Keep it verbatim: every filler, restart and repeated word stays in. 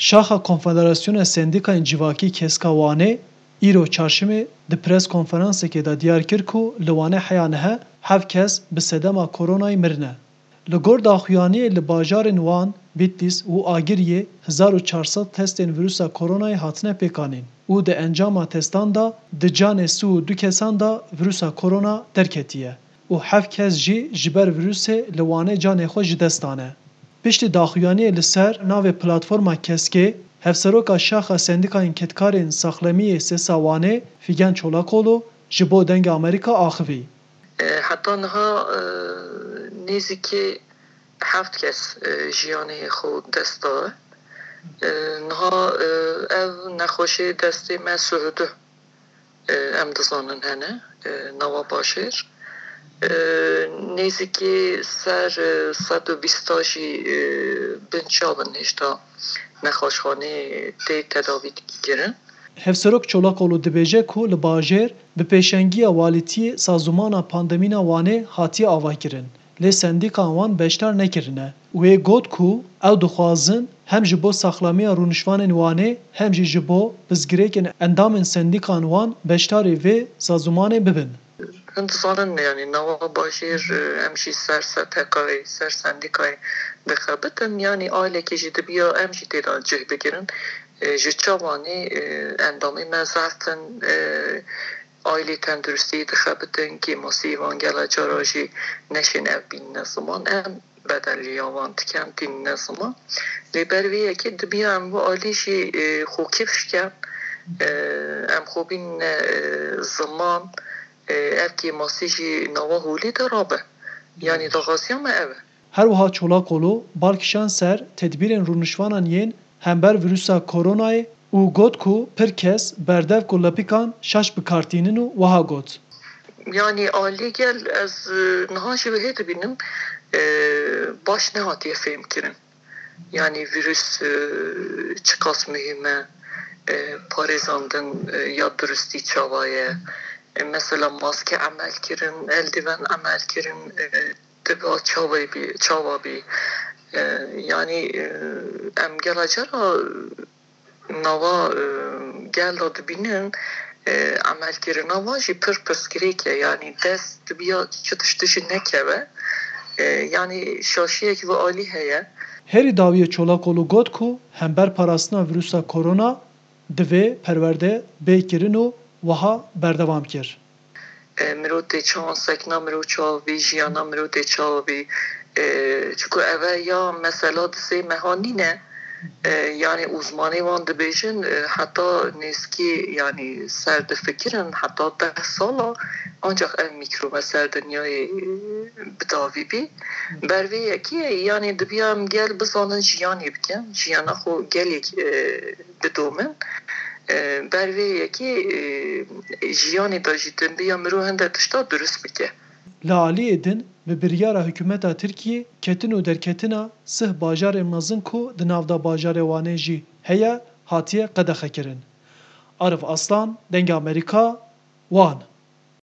Şaxa Konfederasyona Sendîkayên Civakî Keska Wanê îro çarşemê di pres konferansekê de diyar kir ku li Wanê heya nihe heft kes bi sedema koronayê mirine. Li gor daxuyaniyê li bajarên Wan, Bitlîs û Agiriyê hezar û çar sed testên vîrusa koronayê hatine pêkanîn û di encama testan de di canê sî û du kesan de vîrusa korona derketiye û heft kes jî ji ber vîrusê li Wanê canê xwe ji dest dane. Piştî daxuyaniyê li ser navê Platforma Keskê, Hevseroka Şaxa Sendîkayên Kedkarên Saxlemiyê Sesa Wanê Fîgen Çolakolu ji bo Dengê Amerîka axivî. E, heta niha, e, nêzîkî heft kes, e, jiyanê xwe dest daye. E, niha, e, ev nexweşê destê me sih û du, e, em dizanin hene, e, nava bajêr. E, nêzîkî ser, e, sed û bîsta jî, e, binçav in hêşta nexweşxanê tê tedavî kirin. Hevserok Çolakolu dibêje ku li bajêr bi pêşengiya walîtiyê sazûmana pandemîna Wanê hatiye avakirin. Lê sendîkan wan beşdar nekirine. Wê got ku ew dixwazin hem ji bo saxlamiya rûnişvanên Wanê hem jî ji bo pirsgirêkên endamên sendîkan wan beşdarî vê sazûmanê bibin. Hûn dizanin, yanî nava bajêr, e, em jî ser S T K'yê, ser sendîkayê dixebitin, yanî ailekê jî dibiya em jî tê de cih bigirin. E, ji çavanê, e, endamê me zehf in, e, ailê tenduristiyê dixebitin, kêmasî van gela cara jî neşên ev bînine ziman. Em bedeliya wan dikem tînine ziman. Lê ber vê yekê dibiya em wê alî jî, e, xwe kifş ken, e, em xwe bînine, e, ziman, e, ev kêmasî jî nava holê de rabe. Yanî daxwaziya me ev e. Her wiha Çolakolu bal kişand ser tedbîrên rûnişvanan yên hember vîrusa koronayê û got ku pir kes berdevk û lepîkan şaş bi kar tînin û wiha got. Yanî alî gel ez, e, niha jî wê hê dibînim, e, baş nehatiye fêhmkirin. Yanî vîrus, e, çiqas muhîm e, e, parêzandin, e, ya durustî çawa ye? E, mesela maske emel kirin, eldiven emel kirin, e, diba çawa bî, çawa bî? E, yanî, e, em gela cara nava, e, gel de dibînin, e, emelkirina wan jî pir pirsgirêk e. Yanî dest dibiya çi tiştî jî nekeve. E, yanî şaşiyek vê alî heye. Herî dawiyê Çolakolu got ku hember parastina vîrusa korona divê perwerde bê kirin û wiha berdewam kir. E, mirov tê çawan sekna mirov çawa bî, jiyana mirov tê çawa bî. E, çiku eve ya mesela di sê meha nîne. E, yanî uzmanê wan dibêjin, e, heta nêzkî, yanî ser difikirin, heta deh sala ancax ev mîkrobe ser dinyayê, e, bi dawî bî. Ber vê yekê, yanî dibiya em gel bizanin jiyanê bikin, jiyana xwe gelek, e, bidomin. E, ber vê yekê, e, jiyanê de jî dibiya mirov hinde tişta durust bike. Li aliyê din bi biryara hikûmeta Tirkiyê ketin û derketina sih bajarên mezin ku di nav de bajarê Wanê jî heye hatiye qedexekirin. Arif Aslan, Dengê Amerîka, Wan.